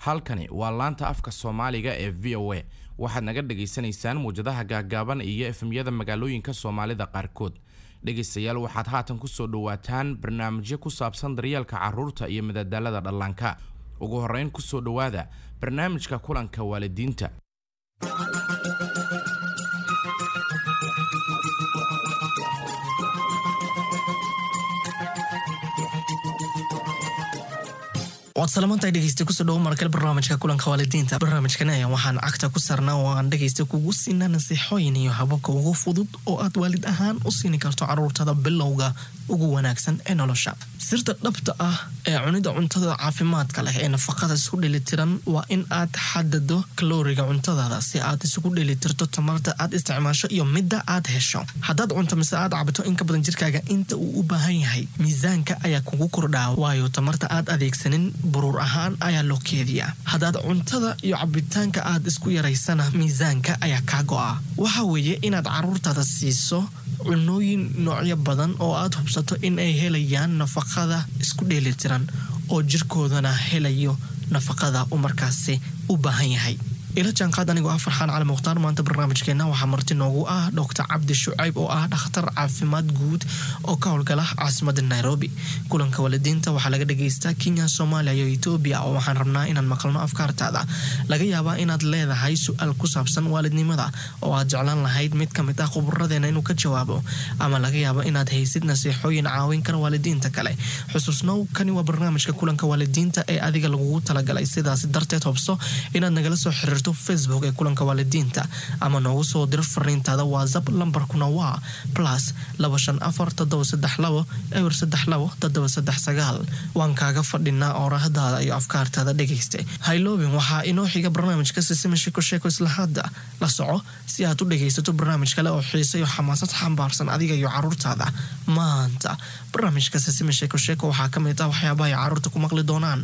Halkani waa laanta afka Soomaaliga ee VOA. Waxaad naga dhagaysanaysaan muwjadaha gaagaaban iyo FM-yada magaalooyinka Soomaalida qaarkood. Dhegaystayaal, waxaad haatan kusoo dhawaataan barnaamijyo ku saabsan daryeelka carruurta iyo madadaalada dhallaanka. Ugu horreyn, kusoo dhowaada barnaamijka kulanka waalidiinta. Waad salamantahay, dhegeysta. Kusoo dhawo markale barnaamijka kulanka waalidiinta. Barnaamijkan ayaa waxaan cagta ku saarnaa oo aan dhegeysta kugu siinaa nasiixooyin iyo hababka ugu fudud oo aad waalid ahaan u siini karto caruurtada bilowga ugu wanaagsan ee nolosha. Sirta dhabta ah ee cunida cuntada caafimaadka leh ee nafaqada isku dheelitiran waa in aad xadado kalooriga cuntadaada si aad isugu dheelitirto tamarta aad isticmaasho iyo midda aad hesho. Haddaad cunto mise aad cabto in ka badan jirkaaga inta uu u baahan yahay, miisaanka ayaa kugu kordhaa, waayo tamarta aad adeegsanin buruur ahaan ayaa loo keediyaa. Haddaad cuntada iyo cabitaanka aad isku yaraysana, miisaanka ayaa kaa go'a. Waxa weeye inaad caruurtaada siiso cunooyin noocyo badan oo aad hubsato in ay helayaan nafaqada isku dheelitiran oo jirkoodana helayo nafaqada uu markaasi u baahan yahay. Ila jaanqaad anigoo ah Farxaan Cali Mukhtaar. Maanta barnaamijkeena waxaa marti noogu ah Dr Cabdi Shucayb oo ah dhakhtar caafimaad guud oo ka howlgala caasimada Nairobi. Kulanka waalidiinta waxaa laga dhagaystaa Kenya, Soomaaliya iyo Etoobiya, oo waxaan rabnaa inaan maqalno afkaartaada. Laga yaabaa inaad leedahay su-aal ku saabsan waalidnimada oo aad jeclaan lahayd mid ka mid ah khuburadeena inuu ka jawaabo, ama laga yaabo inaad haysid nasiixooyin caawin kara waalidiinta kale. Xusuusnow, kani waa barnaamijka kulanka waalidiinta ee adiga lagugu talagalay. Sidaas darteed, hobso inaad nagala soo xiriirto Facebook ee kulanka waalidiinta ama noogu soo dir fariintaada WhatsApp. Lambarkuna waa +254 732 032 739. Waan kaaga fadhinaa oorahdaada iyo afkaartaada, dhegayste. Hayloobin, waxaa inoo xiga barnaamijka Sisima Sheko Sheeko. Isla hadda la soco si aad u dhegaysato barnaamij kale oo xiise iyo xamaasad xambaarsan adiga iyo caruurtaada. Maanta barnaamijka Sisima Sheeko Sheeko waxaa ka mid ah waxyaabaha ay caruurta ku maqli doonaan.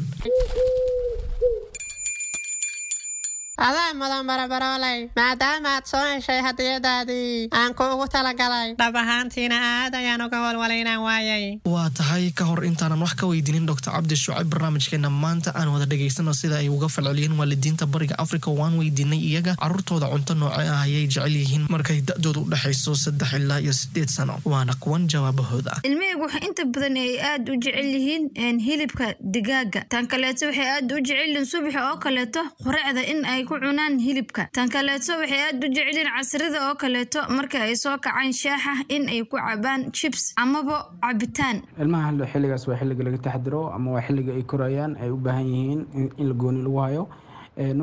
Adaa mudan, barabarooley, maadaama aad soo heshay hadiyadaadii aan kuugu talagalay. Dhab ahaantiina aad ayaan uga walwalay inaan waayay. Waa tahay. Ka hor intaanan wax ka weydiinin Dr Cabdi Shucayb barnaamijkeena maanta, aan wada dhegaysano sida ay uga falceliyeen waalidiinta Bariga Africa. Waan weydiinay iyaga caruurtooda cunto nooce ah ayay jecel yihiin markay da-doodu u dhexayso 3 ilaa iyo 8 sano. Waana kuwan jawaabahooda. Ilmahaygu waxay inta badan ay aad u jecel yihiin hilibka digaaga. Tan kaleeto, waxay aad u jecel yihiin subaxa oo kaleeto quraacda in ay ku cunaan hilibka. Tan kaleeto, waxay aad u jecel yihiin casrida oo kaleeto marka ay soo kacaan shaaxa in ay ku cabaan chips amaba cabitaan. Ilmaha xilligaas waa xilliga laga taxadiro ama waa xilliga ay korayaan, ay u baahan yihiin in la gooni lagu hayo.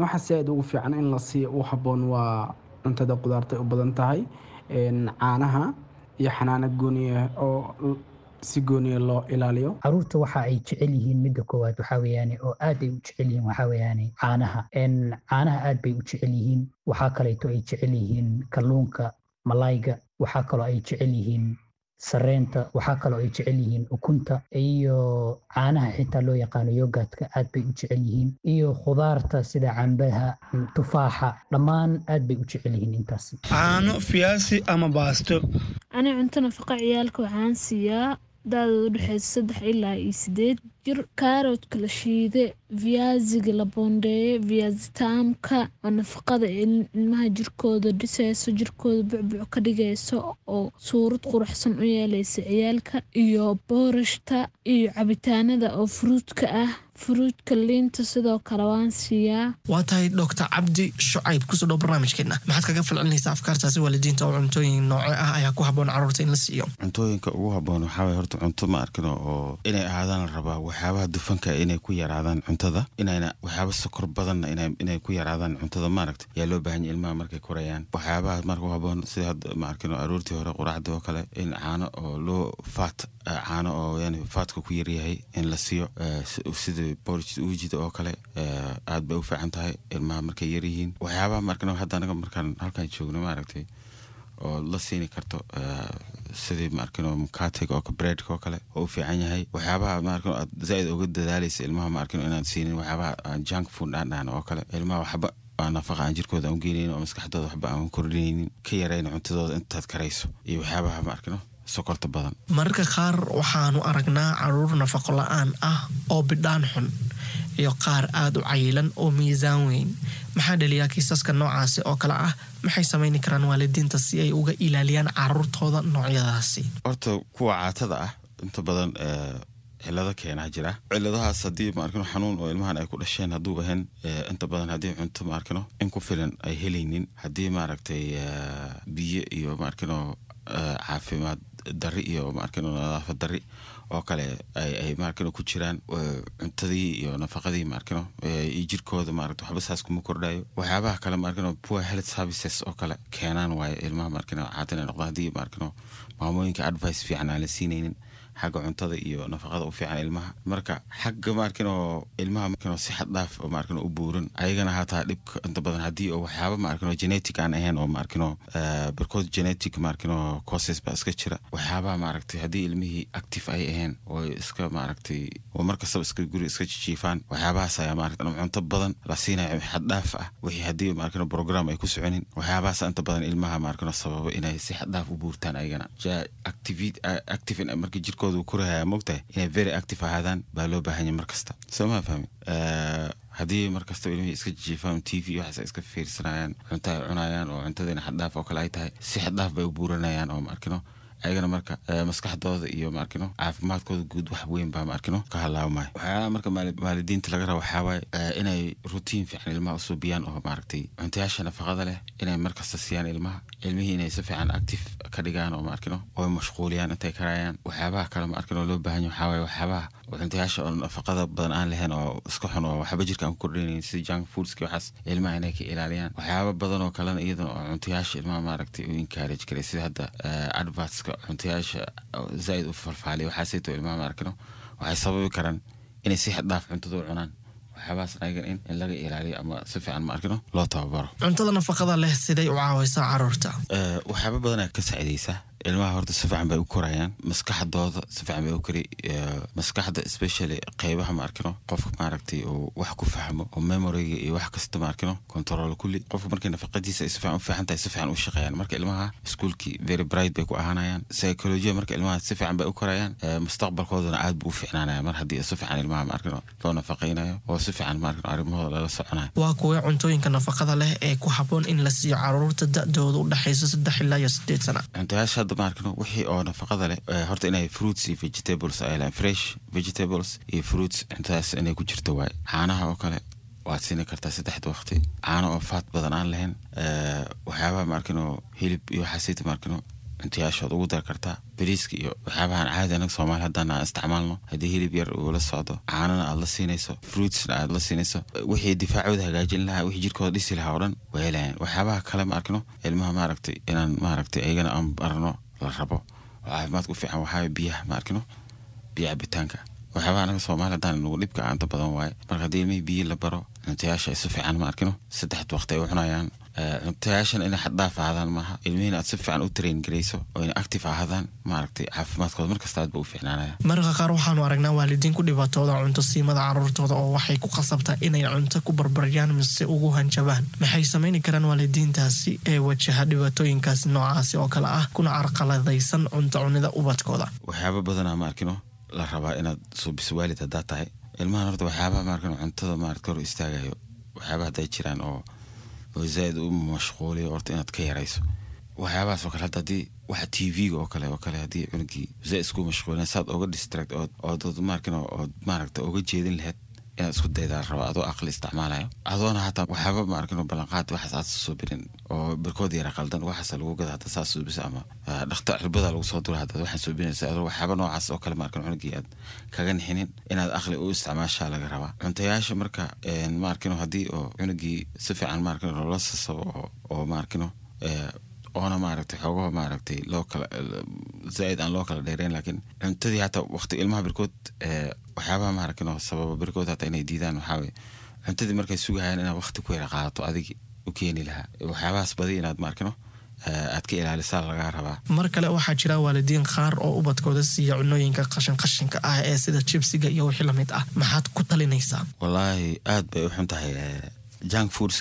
Waxa si aad ugu fiican in la siiyo u habboon waa cuntada qudaarta ay u badan tahay, caanaha iyo xanaano gooniya oo si gooniya loo ilaaliyo. Caruurta waxa ay jecel yihiin, midda koowaad waxaa weeyaane oo aad ay u jecel yihiin, waxaa weeyaane caanaha. Caanaha aad bay u jecel yihiin. Waxaa kaleeto ay jecel yihiin kalluunka, malayga. Waxaa kaloo ay jecel yihiin sareenta. Waxaa kaloo ay jecel yihiin ukunta iyo caanaha xitaa loo yaqaano yogurtka, aad bay u jecel yihiin, iyo khudaarta sida cambaha, tufaaxa, dhammaan aad bay u jecel yihiin intaasi. Caano, fiyaasi ama baasto. Ani cunto nafaqa ciyaalka waxaan siiyaa da-dooda udhexeysa 3 ilaa iyo 8 jir kaaroodka la shiide, viaziga la boondeeye, viazi taamka oo nafaqada ilmaha jirkooda dhiseyso, jirkooda bucbuc ka dhigeyso oo suurad quruxsan u yeeleysa ciyaalka, iyo boorashta iyo cabitaanada oo fruitka ah, fruitka, liinta sidoo kale waan siiyaa. Waa tahay. Dr Cabdi Shucayb, kusoo dhow barnaamijkeena. Maxaad kaga falcelinaysaa afkaartaasi waalidiinta oo cuntooyin nooce ah ayaa ku habboon caruurta in la siiyo? Cuntooyinka ugu habboon waxaa waye horta cunto, ma arkino, oo inay ahaadaan la rabaa waxyaabaha dufanka inay ku yaraadaan cuntada, inayna waxyaaba sokor badanna inay ku yaraadaan cuntada, maaragta, yaa loo baahan yahay ilmaha markay korayaan. Waxyaabaha marka u habboon sida hadda, ma arkino, aroortii hore quraacda oo kale in caano oo loo fat, caano oo yani fatka ku yaryahay in la siiyo, sida porridge uujida oo kale, aad bay u fiican tahay ilmaha markay yaryihiin. Waxyaabaha, ma arkino, hadda anaga markaan halkan joogno, maaragtay, oo la siini karto sidii, ma arkino, mkatega oo breadka oo kale oo u fiican yahay. Waxyaabaha, ma arkino, aad zaaid uga dadaalaysa ilmaha, ma arkino, inaad siinin waxyaabaha aan junk food aan dhahno oo kale. Ilmaha waxba aan nafaqa aan jirkooda aan u geenaynin oo maskaxdooda waxba aan kordhinaynin, ka yarayna cuntadooda intaad karayso, iyo waxyaabaha, ma arkino, sokorta badan. Mararka qaar waxaanu aragnaa caruur nafaqo la-aan ah oo bidhaan xun. Iyo qaar aada u cayilan oo miisaan weyn. Maxaa dhaliyaa kiisaska noocaasi oo kale ah? Maxay samayni karaan waalidiinta si ay uga ilaaliyaan caruurtooda noocyadaasi? Horta kuwa caatada ah inta badan cilado keenaa jira. Ciladahaas haddii, maarkino, xanuun oo ilmahan ay ku dhasheen hadduu ahayn, inta badan haddii cunto, maarkino, in ku filan ay helaynin, haddii, maaragtay, biyo iyo, maarkino, caafimaad dari iyo, maarkino, nadaafad dari oo kale ay, maarkino, ku jiraan cuntadii iyo nafaqadii, maarkino, iyo jirkooda, maaragta, waxba saas kuma kordhayo. Waxyaabaha kale, maarkino, poor health services oo kale keenaan waaye ilmaha, maarkino, caata inay noqdaan, haddii, maarkino, maamooyinka advice fiican aan la siinaynin xagga cuntada iyo nafaqada u fiican ilmaha. Marka xagga, maarkino, ilmaha, maarkino, si xad dhaaf oo, maarkino, u buuran ayagana hataa dhibka inta badan haddii oo waxyaaba, maarkino, genetic aan ahayn oo, maarkino, barkood genetic, maarkino, causes baa iska jira. Waxyaabaha, maaragtay, haddii ilmihii active ay ahayn oo iska, maaragtay, oo markastaba iska guri iska jijiifaan, waxyaabahaas ayaa, maaragtay, cunto badan la siinayo xad dhaaf ah, wixii haddii, maarkino, program ay ku soconin, waxyaabahaas inta badan ilmaha, maarkino, sababa inay si xad dhaaf u buurtaan ayagana. Active marka jirkooda uu korahaya, mogtahay, inay very active ahaadaan baa loo baahan yahay markasta, soo ma fahmi? Haddii markastaba ilmihii iska jiifaan, TV waxaas ay iska fiirsanayaan, cunto ay cunayaan oo cuntadiina xaddhaaf oo kale ay tahay, si xaddhaaf bay u buuranayaan oo, maarkino, ayagana marka maskaxdooda iyo, maarkino, caafimaadkooda guud wax weyn baa, maarkino, ka halaabmaya. Waxyaalaha marka waalidiinta laga raba waxaa waaye inay routine fiican ilmaha usoo biyaan oo, maaragtay, cuntayaasha nafaqada leh inay markasta siiyaan ilmaha, ilmihii inay si fiican active ka dhigaan oo, maarkino, oo mashquuliyaan intay karayaan. Waxyaabaha kale, maarkino, loo baahan yahay waxaa waaye waxyaabaha cuntayaasha oo nafaqada badan aan lahayn oo iska xun oo waxba jirka aan ku kordhinayn, sida junk foodski, waxaas ilmaha inay ka ilaaliyaan. Waxyaaba badan oo kalena iyadana oo cuntayaasha ilmaha, maaragtay, u encourage karay, sida hadda advertska cuntayaasha zaaid u falfaaliya, waxaasayto ilmaha, maarkino, waxay sababi karaan inay si xad dhaaf cuntada u cunaan. Waxyaabahaas ayagan in laga ilaaliyo ama si fiican, maarkino, loo tababaro. Cuntada nafaqada leh siday u caawaysaa caruurta? Waxyaaba badanaa ka saacidaysa ilmaha. Horta si fiican bay u korayaan, maskaxdooda si fiican bay u kori, maskaxda especially qeybaha, maarkino, qofka, maaragtay, uu wax ku fahmo oo memoryga iyo wax kasta, maarkino, control kulli. Qofka markay nafaqadiisa ay si fiican u fiican tahay, si fiican u shaqeeyaan. Marka ilmaha iskuulkii very bright bay ku ahaanayaan, psychology marka ilmaha si fiican bay u korayaan, mustaqbalkoodana aad buu u fiicnaanaya mar haddii si fiican ilmaha, maarkino, loo nafaqaynayo oo si fiican, maarkino, arrimahooda lala soconayo. Waa kuwee cuntooyinka nafaqada leh ee ku habboon in la siiyo caruurta da'dooda u dhexaysa 3 ilaa iyo 8 sana? Cuntayaasha hadda, maarkino, wixii oo nafaqada leh, horta inay fruits iyo vegetables ay lahayn, fresh vegetables iyo fruits, cuntadaas inay ku jirto waaye. Caanaha oo kale waad siini kartaa saddexda waqti, caano oo fat badan aan lahayn. Waxyaabaha, maarkino, hilib iyo waxaasayta, maarkino, cuntayaashood ugu dar kartaa. Bariiska iyo waxyaabahan caadi anaga Soomaali haddaan aan isticmaalno, haddii hilib yar uu la socdo, caanana aad la siinayso, fruitsna aad la siinayso, wixii difaacooda hagaajin lahaa, wixii jirkooda dhisi lahaa oo dhan way helayaan. Waxyaabaha kale, ma arkino, ilmaha, maaragtay, inaan, maaragtay, ayagana aan barno la rabo oo caafimaadka u fiican waxaa biyaha, ma arkino, biyo cabitaanka. Waxyaabaha anaga Soomaali haddaan nagu dhibka aanta badan waaye. Marka haddii ilmihii biyo la baro, cuntayaasha ay si fiican, ma arkino, saddex waqti ay u cunayaan, cuntayaashan inay xaddhaaf ahaadaan maaha, ilmihiina aad si fiican u train garayso oo inay active ahaadaan, maaragtay, caafimaadkooda markasta aad ba u fiicnaanaya. Mararka qaar waxaanu aragnaa waalidiin ku dhibaatooda cunto siimada caruurtooda oo waxay ku qasabtaa inay cunto ku barbaryaan mise ugu hanjabaan. Maxay samayni karaan waalidiintaasi ee wajaha dhibaatooyinkaasi noocaasi oo kale ah kuna carqaladaysan cunto cunida ubadkooda? Waxyaaba badanaa, ma arkino, la rabaa inaad suubiso waalid haddaad tahay ilmahan. Horta waxyaabaha, maarkino, cuntada, maaragta, hor istaagayo, waxyaabaha hadday jiraan oo zaaid u mashquuliyo, horta inaad ka yarayso waxyaabahaas oo kale. Hadda haddii waxa TV-ga oo kale haddii cunugii zaaid isku mashquulina, saad oga distract ood, maarkino, ood, maaragta, oga jeedin lahayd inaad isku daydaa la rabaa, adoo aqli isticmaalayo, adoona hataa waxyaaba, maarkino, ballanqaad waxaas aad soo birin oo barkood yara qaldan waxaas lagu gada hadda saas suubisa ama dhakhtar cirbada lagu soo dura haddaad waxaan suubinaysa, adoo waxyaaba noocaas oo kale, maarkino, cunugii aad kaga nixinin, inaad aqli u isticmaashaa laga rabaa cuntayaasha. Marka, maarkino, haddii oo cunugii si fiican, maarkino, loola sasabo oo, maarkino, oona, maaragtay, xoogaha, maaragtay, loo kala zaaid aan loo kala dheereyn, laakiin cuntadii hataa waqti ilmaha barkood, waxyaabaha, maaragtay, sababa barkood hataa inay diidaan waxaa weye cuntadii markay sugahayaan inaad waqti ku yara qaadato adigi u keeni lahaa. Waxyaabahaas badi inaad, maarkino, aad ka ilaalisaa lagaa rabaa. Mar kale waxaa jira waalidiin qaar oo ubadkooda siiya cunooyinka qashin qashinka ah ee sida jibsiga iyo wixii lamid ah. Maxaad ku talinaysaa? Wallaahi aad bay u xun tahay junk foodska.